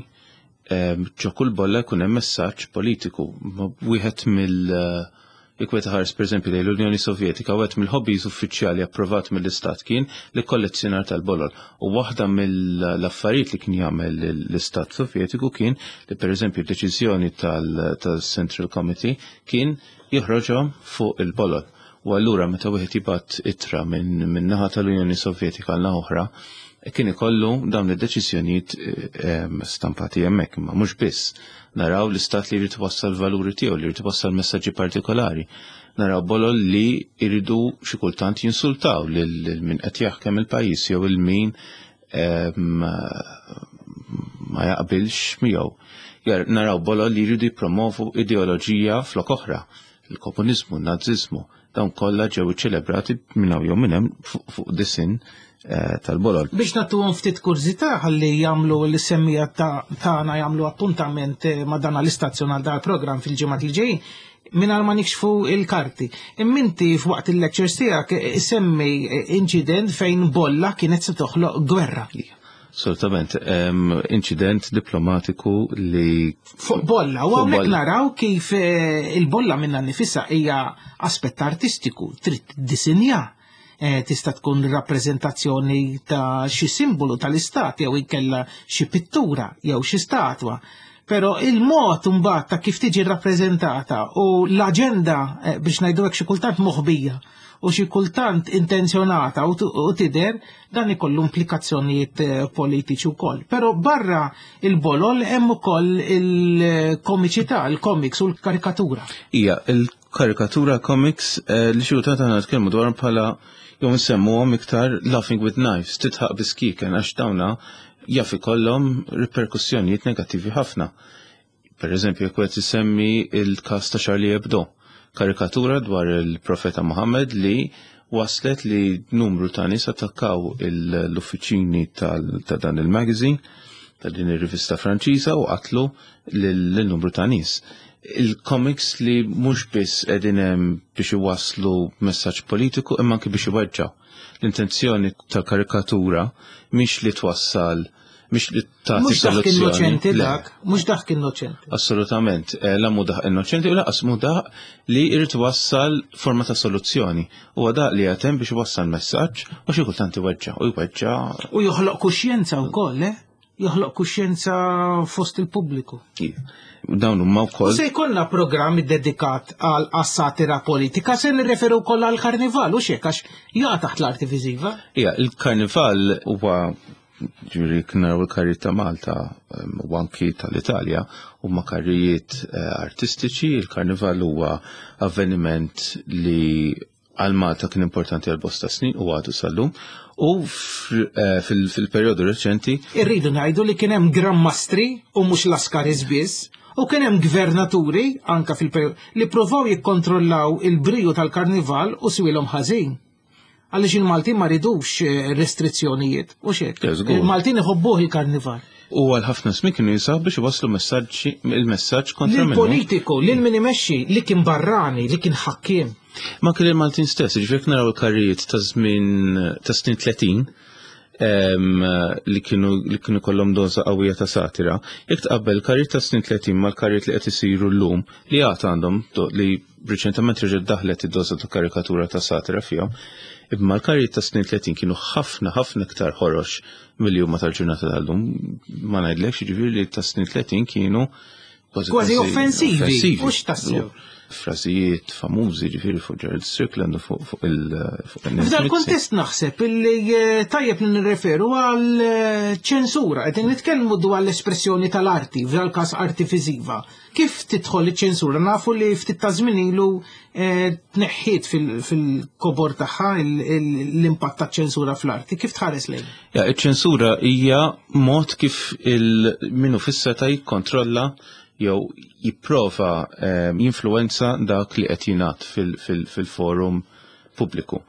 ehm, ġo kull bolla jkun hemm messaġġ politiku. Wieħed mill Jekk wieħed iħares pereżempju lejn l-Unjoni Sovjetika, wieħed mill-hobbies uffiċjali approvat mill-Istat kien l-ikkollezzjonar tal-bolol. U waħda mill-affarijiet li kien jagħmel l-Istat Sovjetiku kien li pereżempju d-deċiżjoni tal-Central Committee kien joħroġhom fuq il-bolol. U allura meta wieħed jibgħat ittra minn naħa tal-Unjoni Sovjetika għal naħa oħra, kien ikollu dawn id-deċiżjonijiet eh, stampati hemmhekk, imma mhux biss. Naraw l-istat li jrid iwassal valuri tiegħu, li jrid iwassal messaġġi partikolari. Naraw bolol li jridu xi kultant jinsultaw lil min qed jaħkem il-pajjiż jew il min ma jaqbilx miegħu. Naraw bolol li jridu jippromovu ideoloġija flok oħra, il-komuniżmu, n-naziżmu, dawn kollha ġew iċċelebrati minn hawn jew minn hemm fuq disin eh, tal-bolol. Biex nagħtuhom ftit kurżità ħalli jagħmlu l-semmija tagħna jagħmlu appuntament eh, ma' dan l-istazzjon għal dal-programm fil-ġimgħat li ġejjin mingħajr ma nikxfu il-karti. Imminti f'waqt il-lectures tiegħek eh, semmi inċident fejn bolla kienet se toħloq gwerra. Assolutament, inċident diplomatiku li. Fuq bolla, u hawnhekk naraw kif eh, il-bolla minna nifissa hija aspett artistiku, trid disinja eh, tista' tkun rappreżentazzjoni ta' xi simbolu tal-istat jew inkella xi pittura jew xi statwa. Però il-mod mbagħad ta' kif tiġi rappreżentata u l-aġenda eh, biex ngħidu hekk xi kultant moħbija u xi kultant intenzjonata u tidher dan ikollu implikazzjonijiet eh, politiċi wkoll. Però barra il-bolol hemm ukoll il-komiċità, il-comics u l-karikatura. Ija, il-karikatura comics eh, li xi kultant aħna nitkellmu dwar bħala jew nsemmuhom iktar laughing with knives, titħaq biskiken għax dawna jaf ikollhom riperkussjonijiet negattivi ħafna. Per eżempju, jekk qed isemmi il-każ ta' Charlie Hebdo, karikatura dwar il-profeta Muhammad li waslet li numru ta' nies attakkaw l-uffiċini ta' dan il-magazine, ta' din ir-rivista Franċiża u qatlu lil numru ta' nies. Il-comics li mhux biss qegħdin hemm biex iwasslu messaġġ politiku imma anke biex iweġġgħu. L-intenzjoni tal-karikatura mhix li twassal mhix li tagħti Mhux dak innoċenti dak, mhux dak innoċenti. Assolutament, eh, la mhu dak innoċenti u laqas mhu dak li jrid wassal forma ta' soluzzjoni. Huwa dak li qed biex iwassal messaġġ u xi kultant iweġġa' u jweġġa'. U joħloq kuxjenza wkoll, eh? Joħloq kuxjenza fost il-pubbliku. Dawn huma wkoll. U se jkollna programm iddedikat għal satira politika se nirreferu wkoll għal karnival u xek għax jaqa' taħt l-arti viżiva. Ija, il-karnival huwa Ġifieri jekk naraw il-karrijiet ta' Malta u anki tal-Italja huma karrijiet eh, artistiċi, il-karnival huwa avveniment li għal Malta kien importanti għal bosta snin u għadu sal-lum. U eh, fil-perjodu reċenti. Irridu ngħidu li kien hemm Gran Mastri u mhux Laskaris biss, u kien hemm gvernaturi anka fil-perjodu li provaw jikkontrollaw il-briju tal-karnival u swilhom ħażin. Għaliex il-Maltin ma ridux eh, restrizzjonijiet, u xek. Il-Maltin iħobbuh il-karnival. U għal ħafna smin kienu jisaw biex iwasslu messaġġi il-messaġġ kontra minnu. Politiku, lil min imexxi li kien barrani, li kien ħakkiem. Ma kien il-Maltin stess, ġifieri naraw il-karrijiet ta' żmien ta' snin 30. li kienu li kienu kollhom doża qawwija ta' satira. Jekk tqabbel karrijiet ta' snin 30 mal-karrijiet li qed isiru llum li għad għandhom li riċentement reġgħet daħlet id-doża ta' karikatura ta' satira fihom, imma l-karrijiet ta' snin 30 kienu ħafna ħafna iktar ħorox milli huma tal-ġurnata tal-lum. Ma ngħidlekx jiġifieri li ta' snin 30 kienu kważi offensivi, mhux tassew. Frażijiet famużi ġifieri fuq Gerald Strickland u fuq il- F'dan kontest naħseb illi eh, tajjeb li nirreferu għal eh, ċensura, qed nitkellmu dwar l-espressjoni tal-arti, f'dan każ arti viżiva. Kif tidħol iċ-ċensura? Nafu li ftit ta' żmien ilu eh, tneħħiet fil-kobor tagħha l-impatt taċ-ċensura fl-arti. Kif tħares lejn? Ja, iċ-ċensura hija mod kif il-minu fis-seta jikkontrolla jew jipprova ehm, jinfluwenza dak li qed jingħad fil-forum pubbliku.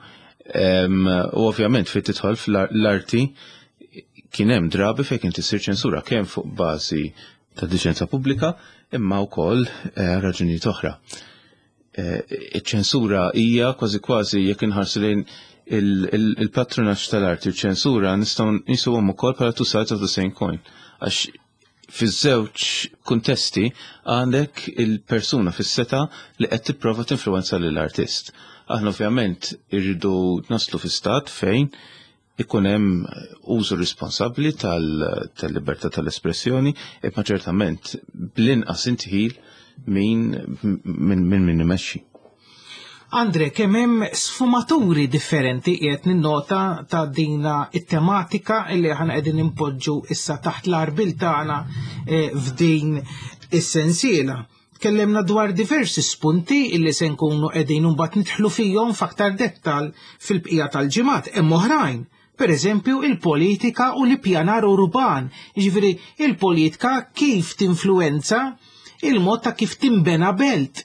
Ehm, u ovvjament fejn tidħol fl-arti kien hemm drabi fejn kien tisir ċensura kemm fuq bażi ta' diċenza pubblika imma wkoll eh, raġunijiet oħra. Eh, iċ-ċensura hija kważi kważi jekk inħarsu lejn il-patronaġġ tal-arti u ċensura nistgħu nisuhom ukoll bħala two sides of the same coin. Għax fiż-żewġ kuntesti għandek il-persuna fis-seta li qed tipprova tinfluwenza lill-artist. Aħna ovvjament irridu naslu fi stat fejn ikun hemm użu responsabbli tal-libertà tal-espressjoni, imma ċertament bl-inqas intħil min min min imexxi. Andre, kemm hemm sfumaturi differenti qiegħed ninnota ta' dina it-tematika li aħna qegħdin impoġġu issa taħt l-arbil tagħna eh, f'din is-sensiela. Tkellimna dwar diversi spunti illi se nkunu qegħdin imbagħad nidħlu fihom f'aktar dettal fil-bqija tal-ġimgħat. Hemm oħrajn, pereżempju il-politika u l-ippjanar urban, jiġifieri il-politika kif tinfluwenza il-mod ta' kif tinbena belt.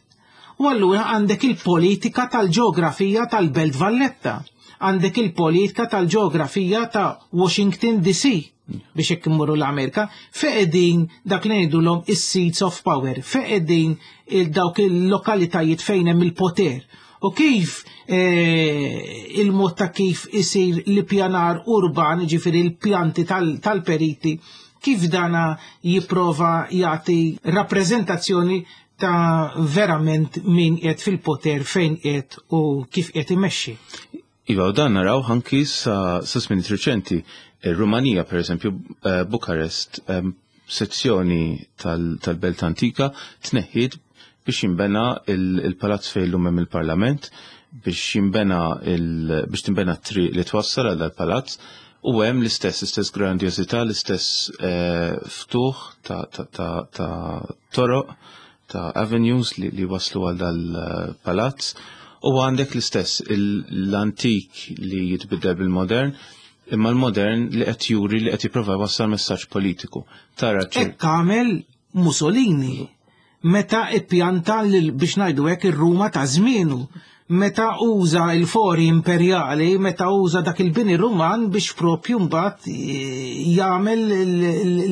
U allura għandek il-politika tal-ġeografija tal-Belt Valletta, għandek il-politika tal-ġeografija ta' Washington DC biex hekk immorru l-Amerika, fejn qegħdin dak li ngħidulhom is-seats of power, fejn qegħdin dawk il-lokalitajiet fejn hemm il-poter. U kif eh, il-mod ta' kif isir l-pjanar urban, ġifieri l-pjanti tal-periti, kif dana jipprova jagħti rappreżentazzjoni ta' verament min qiegħed fil-poter fejn qiegħed u kif qiegħed imexxi. Iva, u dan naraw anki sa, sa żmien riċenti. Ir-Rumanija, per eżempju, eh, Bukarest, eh, sezzjoni tal-Belt Antika tneħħiet biex jinbena il-palazz fejn illum hemm il-Parlament, biex jinbena biex tinbena t-triq li twassal għal dal-palazz u hemm l-istess l-istess grandjożità, l-istess eh, ftuħ ta' toroq ta' avenues li, li waslu għal dal-palazz u għandek l-istess l-antik li jitbiddel bil-modern imma l-modern li qed juri li qed jipprova jwassal messaġġ politiku. Tara Hekk għamel Mussolini meta ippjanta biex ngħidu hekk ir-Ruma ta' żmienu meta uża il-fori imperjali, meta uża dak il-bini Ruman biex propju mbagħad eh, jagħmel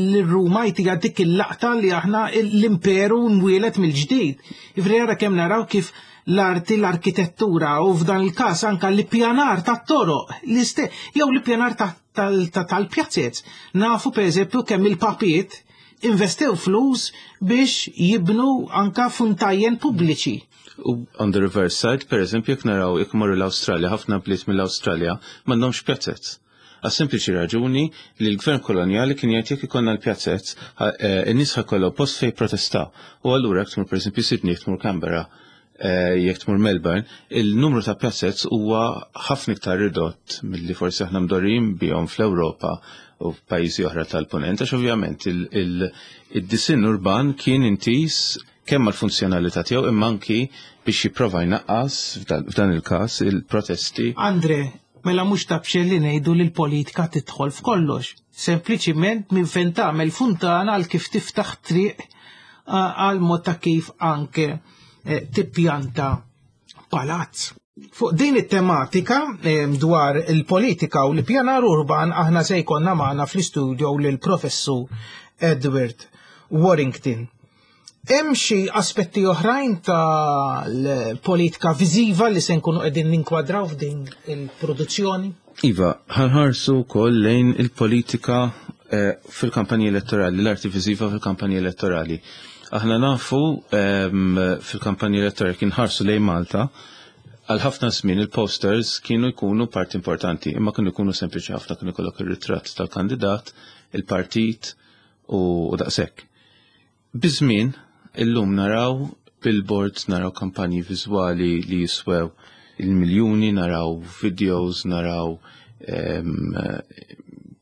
l-Ruma jtiha dik il-laqta li aħna l-imperu nwielet mill-ġdid. Ifri jara kemm naraw kif l-arti, l-arkitettura u f'dan il-każ anka l-ippjanar tat-toroq, jew l-ippjanar tal-pjazzez. Nafu pereżempju kemm il-papiet investew flus biex jibnu anka funtajjen pubbliċi. U on the reverse side, per eżempju, jekk naraw jekk morru l-Awstralja, ħafna bliet mill-Awstralja m'għandhomx pjazzez. Għas sempliċi raġuni li l-gvern kolonjali kien jgħid jekk ikollna l-pjazzez, eh, in-nies ħakollu post fejn protestaw. U allura jekk tmur pereżempju Sydney, jekk tmur Canberra, eh, jekk tmur Melbourne, il-numru ta' pjazzez huwa ħafna iktar ridott milli forsi aħna mdorrijin bihom fl-Ewropa u f'pajjiżi oħra tal-punent, għax ovvjament il-disinn urban kien intis kemm għall-funzjonalità tiegħu imma anki biex jipprova jnaqqas f'dan il-każ il-protesti. Andre, mela mhux ta' b'xejn li ngħidu li l-politika tidħol f'kollox. Sempliċiment minn fejn tagħmel funtana għal kif tiftaħ triq għal mod ta' kif anke eh, tippjanta palazz. Fuq din it-tematika eh, dwar il-politika u l-pjanar urban aħna se jkollna magħna fl-istudio lil professur Edward Warrington. Hemm xi aspetti oħrajn tal-politika viżiva li se nkunu qegħdin ninkwadraw f'din il-produzzjoni? Iva, ħanħarsu wkoll lejn il-politika eh, fil-kampanji elettorali, l-arti viżiva fil-kampanji elettorali. Aħna nafu ehm, fil-kampanji elettorali kien ħarsu lejn Malta, għal ħafna żmien il-posters kienu jkunu parti importanti, imma kienu jkunu sempliċi ħafna kienu jkollok ir-ritratt tal-kandidat, il-partit u daqshekk. Biż-żmien, illum naraw billboards, naraw kampanji viżwali li jiswew il-miljuni, naraw videos, naraw ehm,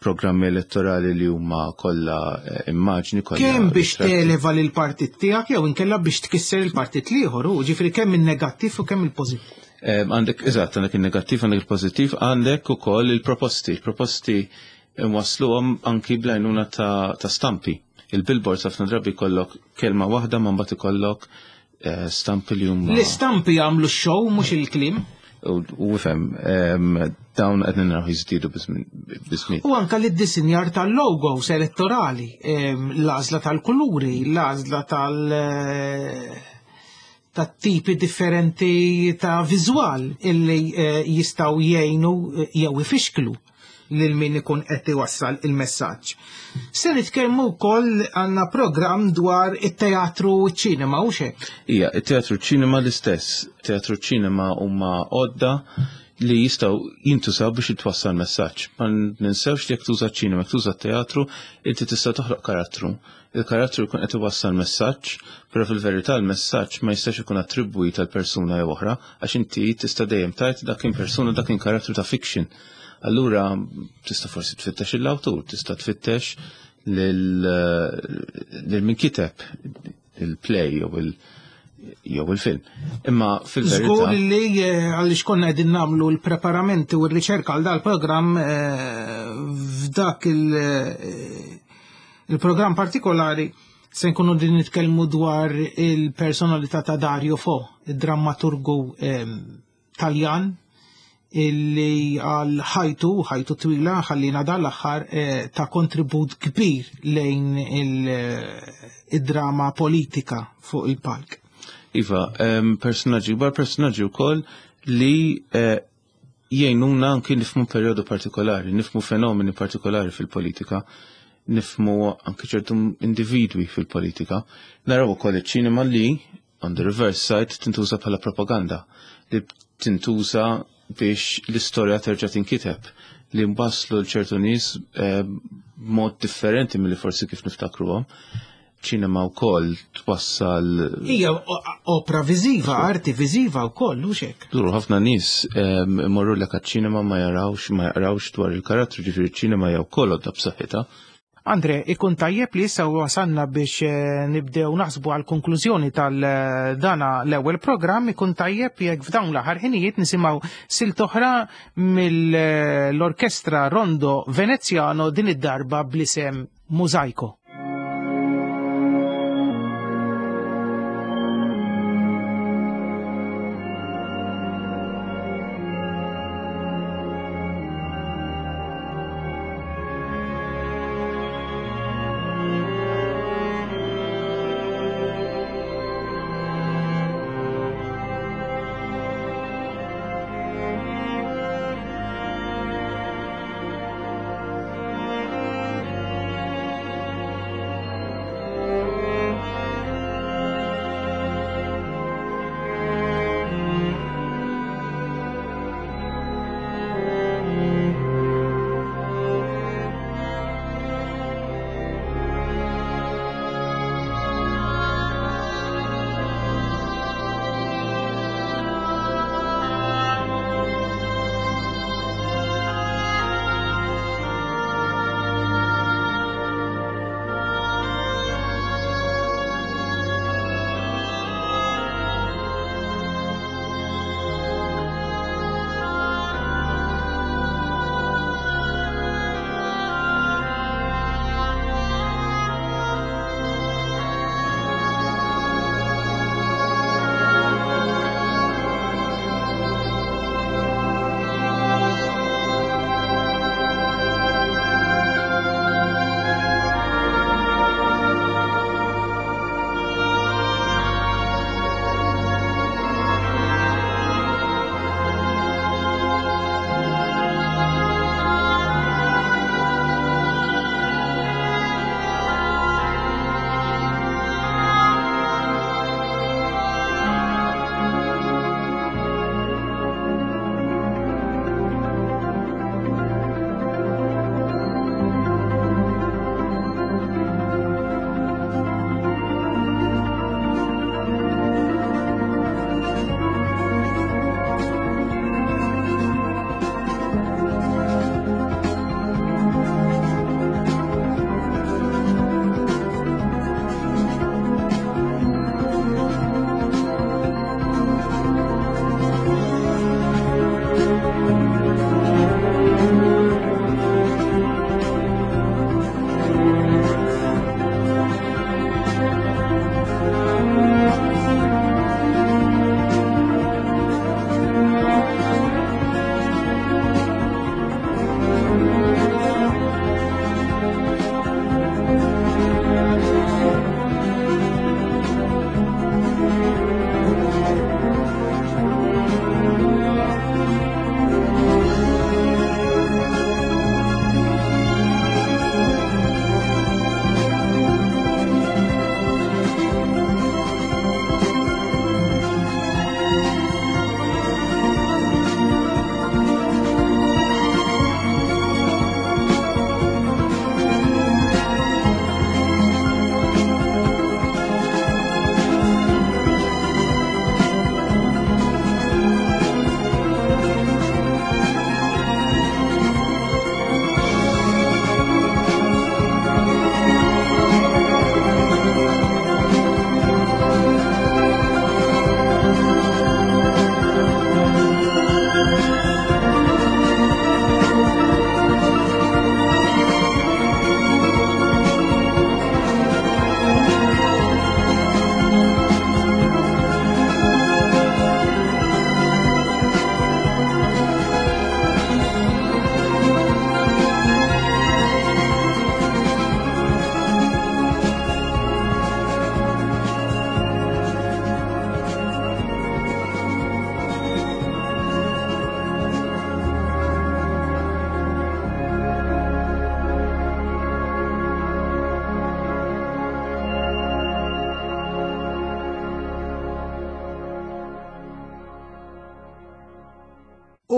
programmi elettorali li huma kollha eh, immaġni kollha. Kemm biex televa lil partit tiegħek jew inkella biex tkisser il-partit l-ieħor, u ġifieri kemm in-negattiv u kemm il-pożittiv. Ehm, għandek, eżatt, għandek il-negattiv, għandek il-pożittiv, għandek ukoll il-proposti. Il-proposti nwasluhom anki bl-għajnuna ta', ta stampi. Il-billboards ħafna drabi jkollok kelma waħda ma mbagħad ikollok eh, stampi li huma. L-istampi jagħmlu x-show mhux il-kliem. U ifhem, dawn qed naraw jiżdiedu biż-żmien. U anka l-iddisinjar tal-logos elettorali, l-għażla tal-kuluri, l-għażla tal- eh, ta' tipi differenti ta' viżwal illi eh, jistgħu jgħinu jew ifixklu lil min ikun qed iwassal il-messaġġ. Se nitkellmu wkoll għandna programm dwar it-teatru u ċ-ċinema u xek. Ija, it-teatru ċinema l-istess. Teatru ċinema huma għodda li jistgħu jintużaw biex jitwassal messaġġ. Ma ninsewx li jekk tuża ċinema, jekk tuża teatru, inti tista' toħloq karattru. Il-karattru jkun qed iwassal messaġġ, però fil-verità l-messaġġ ma jistax ikun attribwit għal persuna jew oħra, għax inti tista' dejjem tgħid dak kien persuna dak kien karattru ta' fiction. Allura tista' forsi tfittex l-awtur, tista' tfittex lil min kiteb il-play jew il- jew il-film. Imma fil-verità. Żgur li eh, għaliex konna qegħdin nagħmlu l-preparamenti u r-riċerka għal dal-programm eh, f'dak eh, il-programm partikolari se nkunu din nitkellmu dwar il-personalità ta' Dario Fo, id-drammaturgu Taljan illi għal ħajtu, ħajtu twila, ħallina dan l-aħħar eh, ta' kontribut kbir lejn eh, id-drama politika fuq il-palk. Iva, personaġġi, kbar personaġġi wkoll li eh, jgħinuna anki nifmu perjodu partikolari, nifmu fenomeni partikolari fil-politika, nifmu anki ċertu individwi fil-politika. Naraw ukoll iċ-ċinema li on the reverse side tintuża bħala propaganda li tintuża biex l-istorja terġa' tinkiteb li nbasslu l-ċertu nies eh, b'mod differenti milli forsi kif niftakruhom. Ċinema wkoll twassal. Hija opra viżiva, arti viżiva wkoll, hux hekk. Duru ħafna nies eh, imorru lek ċinema ma jarawx, ma jaqrawx dwar il-karattru, ġifieri ċinema jew wkoll għodda b'saħħitha. Andre, ikun tajjeb li issa wasanna biex eh, nibdew naħsbu għal konklużjoni tal-dana eh, l-ewwel programm, ikun tajjeb jekk f'dawn l-aħħar ħinijiet nisimgħu silt oħra mill-Orkestra Rondo Veneziano din id-darba bl-isem Mosaico.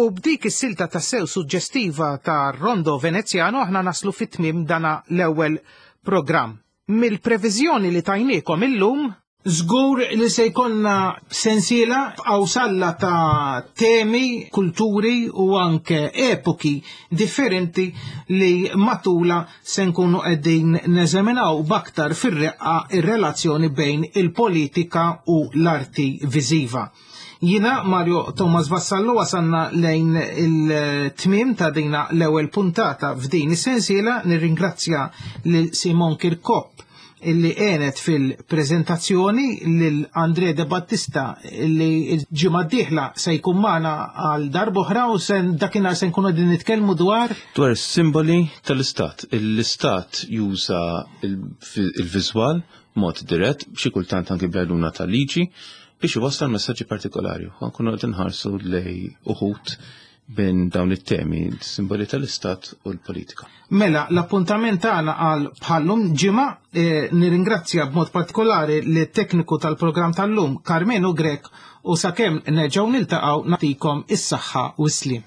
U b'dik is-silta tassew suġġestiva ta' Rondo Veneziano aħna naslu fit-tmiem dana l-ewwel programm. Mill-previżjoni li tajniekom illum, żgur li se jkollna sensiela f'qawsalla ta' temi, kulturi u anke epoki differenti li matula se nkunu qegħdin neżaminaw b'aktar fir-reqqa ir-relazzjoni bejn il-politika u l-arti viżiva. Jina Mario Thomas Vassallo wasanna lejn il-tmiem ta' dina l-ewwel puntata f'din is-sensiela. Nirringrazzja lil Simon Kirkop illi għenet fil-preżentazzjoni, lil Andre De Battista illi ġimgħa d-dieħla se jkun magħna għal darb'oħra u se dakinhar se nkunu qegħdin nitkellmu dwar dwar is-simboli tal-istat. L-istat juża il-viżwal mod dirett, xi kultant anki bl-għajnuna tal-liġi, biex iwassal messaġġi partikolari. Ħa nkunu qed inħarsu lej uħud minn dawn it-temi, simboli tal-istat u l-politika. Mela, l-appuntament tagħna għal bħallum ġimgħa, nirringrazzja b'mod partikolari lit-tekniku tal-programm tal-lum Karmenu Grech u sakemm nerġgħu niltaqgħu nagħtikom is-saħħa u s-sliem.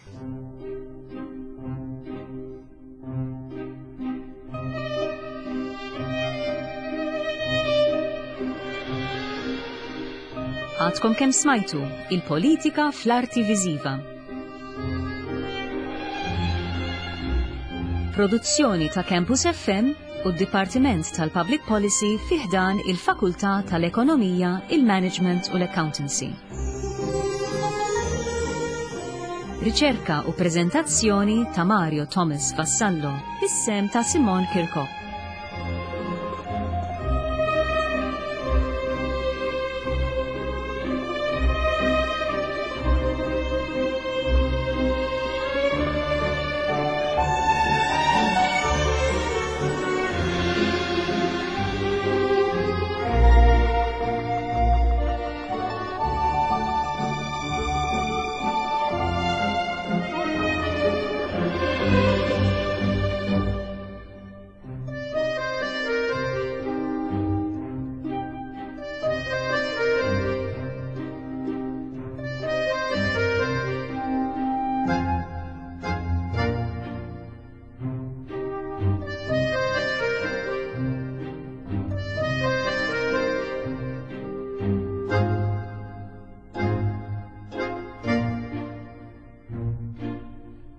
Għadkom kemm smajtu il-politika fl-arti viżiva. Produzzjoni ta' Campus FM u d-Dipartiment tal-Public Policy fi ħdan il-Fakultà tal-Ekonomija, il-Management u l-Accountancy. Riċerka u preżentazzjoni ta' Mario Thomas Vassallo, bis-sehem ta' Simon Kirkop.